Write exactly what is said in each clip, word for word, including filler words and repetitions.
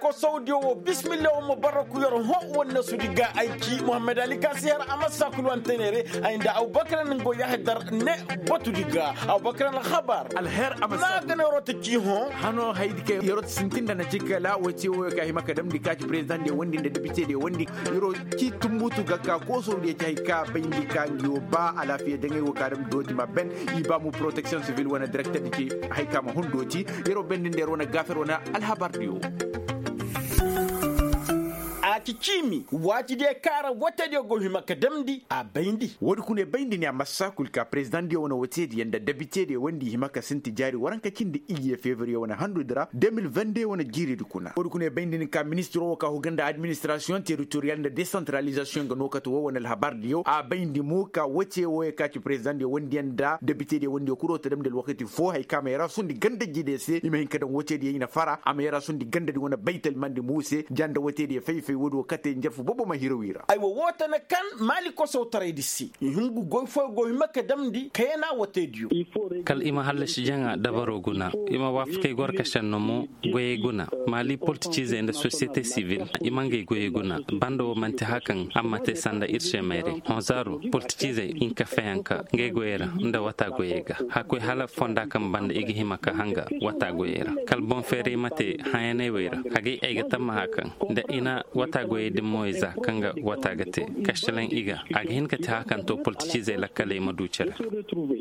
Kosowdiyo wo bismillah wo ma barraku yer hõ wonne sudi ga ay ci muhammad ali ka si har a ma saakul wanteneere. Ay nda abubakar ni go yahdar ne batudi ga abubakar alhabar. Alher a ma saakul. Gane yeroo ta ci hõ. Hano haydi kay yeroo ta sintin nda na ci kala woy ci woyo ka hima ka damndi ka ci president diyo wondi nda debite diyo wondi. Yeroo ci tumbutu ga ka kosowdiyo ci hay ka bayndi ka ngi wo ba alaafiya daŋay wo ka damndi dooti ma ben. I ba mu protection civil wane directeur di ci hay ka ma hun dooti. Yeroo bendi nda yeroo na gaafer wane alhabar diyo. A ci ciimi waati diyo kaara wote diyo go hima ka damndi a bayndi. Woodi kuna bayndi ne a massa kul ka president diyo wane wote diyo nda debite diyo wondi hima ka sinti jaari waranka cindi iyye fevriye wane handu dira deux mille vingt-deux wane jiiri di kuna woodi kuna bayndi ni ka ministiro wo ka huga nda administration territorial nda decentralisation ga no kate wo wane alhabar diyo a bayndi mo ka wote wo ya ka ci president diyo wondi yaŋ nda debite diyo wondi ya kuro ta damndi alwakati fo hay ka ma yara sundi ganda jide se i ma hin ka daŋ wote diyo i na fara a ma yara sundi ganda di wane baytal mandi muuse ja nda wote diyo fay-fay woodi wo kate njarfu bobo ma hiraw i ra. Aywa woo tana kaŋ maali kosow taray di se i hungu goy fooyaŋ go hima ka damndi kayana wote diyo. Kala i ma hallasi jaŋa dabaro guna i ma waafakay gorka senno mo. Goyey guna maali politiciizey nda sosiyete sivil i ma ngey goyey guna. Banda wo manti haya kaŋ a ma te sanda ir se mayray honzaaro politiciizey hinka fayanka ngey goyey ra nda wata goyey ga. Hakkoy hala fonda kaŋ banda i ga hima ka hanga wata goyey ra kala boŋ feeray ma te hayanay wey ra. Hagay ay ga tammaha kaŋ nda i na wata goyey din moyey za kaŋ ga wata ga te. Kastalaŋ i ga a ga hin ka te haya kaŋ to politiciizey lakkaley ma du cere.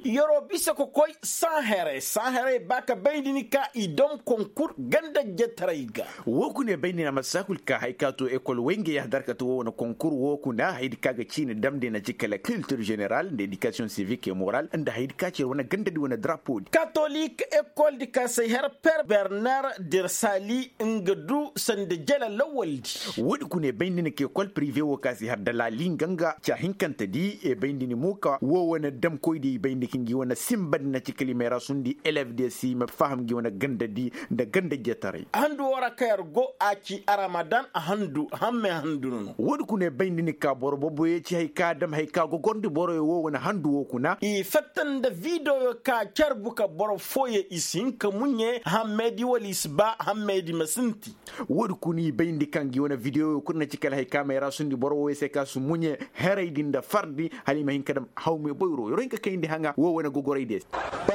Yeroo bisa ka koy saaherey saaherey ba ka bayndi ni ka i dam konkur ganda jetaray ga. Woo kuna bayndi ni a ma saakul ka hay ka to ekol way nga yahadar ka to woo wane konkur woo kuna haydi ka ga ciini damndi na ci kala kiltir ženeral nda edikasiyoŋ sivik e moral nda haydi ka ci yer wane gandadi wane drapo di katolik ekol di ka say har per bernar dersali nga du sanda jela lawal di. Woodi kuna e bayndi ni ka ekol prive woo ka si har dalaali nga nga ca hinkante di e bayndi ni mo ka woo wane damkoy di i bayndi ka ngi wane sinba di na ci kalimay ra sundi elev di si ma faham ngi wane ganda di nda ganda jetaray. Handu woo ra ka yer go a ci aramadan a handu hamme handu no no. Woodi kuna e bayndi ni ka boro boboyo ci hay ka dam hay ka gogorndi boroyo woo wane handu woo kuna i fatta nda videoyo ka carbu ka boro fooyo i si hin ka muɲe hammey di wala i si ba hammey di ma sinti. Woodi kuna i bayndi kaŋ gi wane videoyo kul na ci kala hay ka may ra sundi boro wooyo se ka si muɲe heray di nda fardi hala i ma hin ka dam hawme boyro yoro hin ka kayndi haŋa woo wane gogoray de.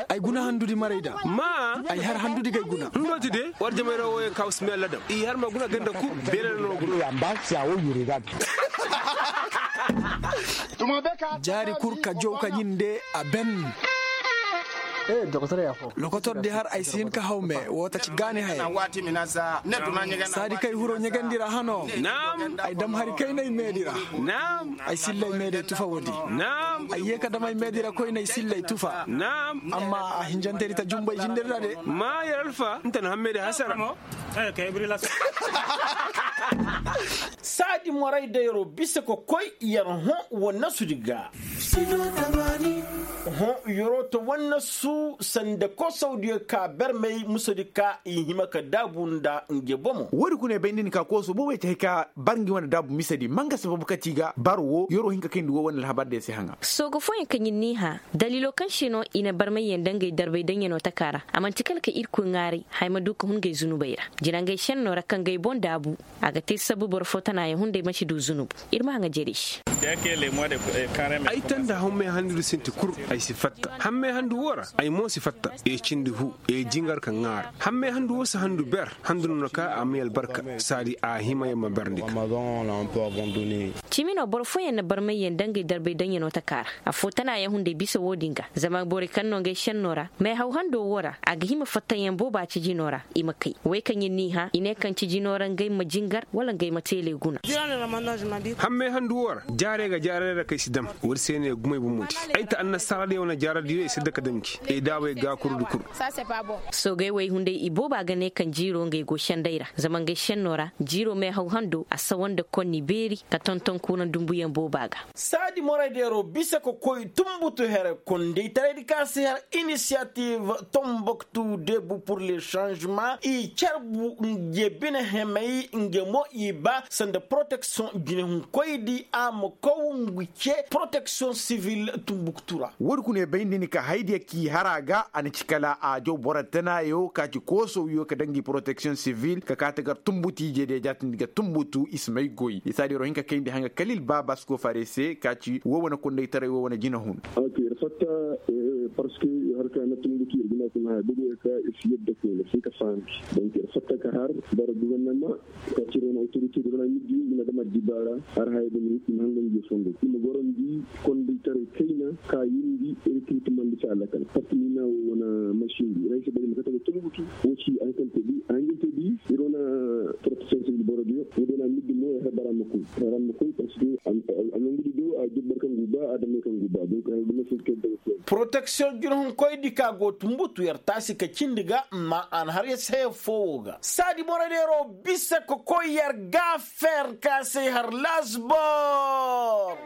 Ay guna handudi maray da ma ay har handudi gay guna. Ndooti de war jamayra wooyo ka usmiyalla dam i har ma guna ganda kul beele no guna. Jaari kul ka jow ka ɲinde a ben. Lokotor di har ay si hin ka haw me woo ta ci gaani haya. Saadi kay huro ɲegandi ra hano. Ay dam hari kay na ay meedi ra. Ay sillay meedi tufa woodi. Ay yee ka dam ay meedi ra koy na ay sillay tufa. Amma a hinjantay di ta jumbay jindir ra de. Ma yer alfa nta na hammey di hasara. Saadi moray da yeroo bisa ka koy yer hõ wannasu di ga. Hõ yeroo ta wannasu sanda kosowdiyo ka barmey musadi ka i hima ka daabu nda nge bomo. Woodi kuna e bay nda ni ka koso boobey te hay ka bar ngi wane daabu misadi ma nga sababu kati ga bar wo yeroo hin ka kayndi wo wane alhabar diyo se haŋa. Sooga fooyaŋ kaŋ ir n'i hã daliiloo kaŋ se no i na barmayyaŋ nda ngey darbay daŋyanoo taka ra. A man'ti kala ka irkoy ŋaaray haya ma du ka hun ngey zunubey ra. Jinangey šennoo ra ka ngey boŋ daabu. A ga te sabu boro foo tanaayaŋ hunday ma si du zunubu. Ir ma haŋa jerey se. Ay tanda hammey handu sinti kul. Ay si fatta hammey handu woo ra. Ay mo si fatta ee cindi hu ee jingar ka ŋaara. Hammey handu woo si handu ber handu no na ka a may albarka. Saadi a hima ya ma ber nda ka. Cimi no boro fooyaŋ na barmayyaŋ nda ngey darbay daŋyanoo taka ra. Affoo tanaayaŋ hunday bisa woo din ga zama borey kaŋ no ngey šennoo ra meehaw handoo woo ra a ga hima fattayaŋ booba ci jinoo ra. I ma kay wey kaŋ ir n'i hã i ne kaŋ ci jinoo ra ngey ma jingar wala ngey ma teeley guna. Hammey handu woo ra jaarey ga jaarey ra kay si dam. Woodi se ne gumey bomoodi. Ay ta annasaara diyo wane jaaradiyo i si daka damji. Ee daabey gaakurudi kul. Soogey wey hunday i booba ga ne kaŋ jiiroo ngey go senday ra zama ngey sennoo ra jiiroo meehaw handoo a sawa nda konni beeri ka tonton kuuraŋ dumbuyaŋ booba ga. Saadi moraydeeroo bisa ka koy tumbutu here kondaytaraydi ka si har inisiyativ tomboktu debu pur le sanzema i carbu nge bine hemey nge mo i ba sanda poroteksiyoŋ jinehunkoydi a ma kow ngu ce poroteksiyoŋ sivil tumbuktu ra. Woodi kuna e bay nda ni ka haydiya k'i Ara ga a na ci kala a jaw boro tanayo ka ci koosowiyo ka daŋ gi poroteksiyoŋ sivil ka kaati gar tunbutu ije de jaatindi ga tunbutu i si may goy isaadiyaro hin ka kayndi haŋa kalil baaba si koo faare se ka ci woo wane kondaytaray woo wane jinahun. Parceque harka na tunbutu ir ga na kuna haya bobo ir ka ir si yadda kuna ir si hin ka fahamndi. Donk ir fatta ka har bara guvernama ka cire wane autorite da wane middi i ma dama dibaara har haya da ma hin ka hangan je fondo i ma gorandi kondaytaray kayna ka yindi ir ka hin ka mandi se alakal parceque ni na wo wane masin di ir hay se bari ma kate ga tunbutu wo ci a hin ka te di a hin ka te di ir wane protection sivil boro diyo wo day na middi mo ir har bara ma koy. Har bara ma koy parceque a nongu di do a jabbar kaŋ gu ba adamay kaŋ gu ba donk har da masin kay daga koy. Protection jurhunkoydi ka go tunbutu yar taasi ka cindi ga amma a na har ya se haya foo wo ga saadi boro deero bisa ka koy yar ga fer ka se har lasbor.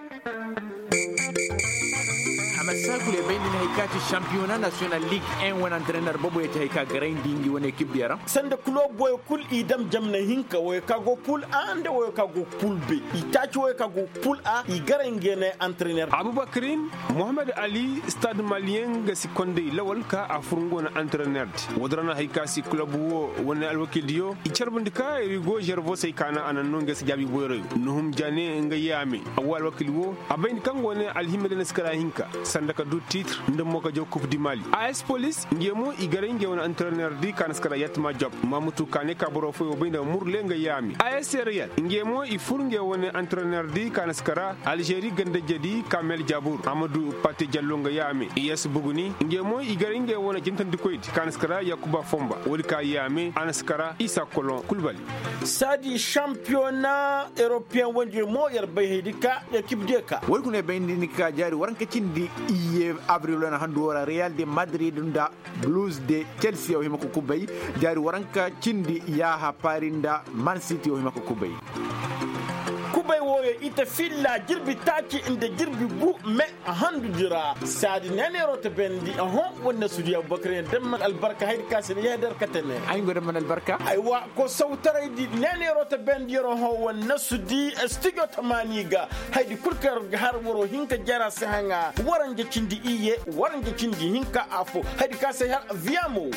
Hamad saakul e bay nda ni hay ka ci sampiyona nasiyonal lig en wane antrener boobo ya ci hay ka garayndi ngi wane ekip diya ra sanda kulob woyo kul i dam jamna hinka woyo ka go pul a nda woyo ka go pul be i taaci woyo ka go pul a i garay nge ne antrener. Abubakarin muhammad ali stad maliyen ga si konday lawal ka a fur nga wane antrener di woodin ra na hay ka si kulob wo wane alwakildiyo i carbandi ka rigo zervosey ka na a naŋ no nga si jaabi boyroyo nuhum jane nga yaame. Awwa alwakil wo a bay nda kaŋ go ne alhimma day na si kara hinka sanda ka du titre nda mo ka jaw kub di mali a s polis nge mo i garay nge wane antrener di ka na si kara yatma job mamutu ka ne ka boro fooyo bay nda murle nga yaame a s reyal nge mo i fur nge wane antrener di ka na si kara alžeri gandajedi kamel jabur amadu pate jallo nga yaame i s buguni nge mo i garay nge wane jintandikoydi ka na si kara yakuba fomba woodi ka yaame a na si kara isa kolon kulbali. Saadi šampiyona eropiyen wondiyo mo yer bay haydi ka ekip diyo ka woy kuna bay nda ni ka jaari waranka cindi iye abril wane handu wo ra real de madrid nda blues de chelsea yaw hima ka kubay jaari waranka cindi yaaha paris nda man city yaw hima ka kubay. Kubay wooyo i ta filla jirbi taaci nda jirbi gu me a handu di ra saadi neeneeroo ta bendi oho. Wane na sudiya abubakar yaŋ damman albarka haydi ka se na yahadar kate ne ay go damman albarka. Aywa ko sawtaray di neeneeroo ta bendi yer oho wane na sudi studio tamaani ga haydi kul kaŋ yer ga har waroo hinka jara se haŋa waranja cindi iyye waranja cindi hinka afo haydi ka se har viyamo.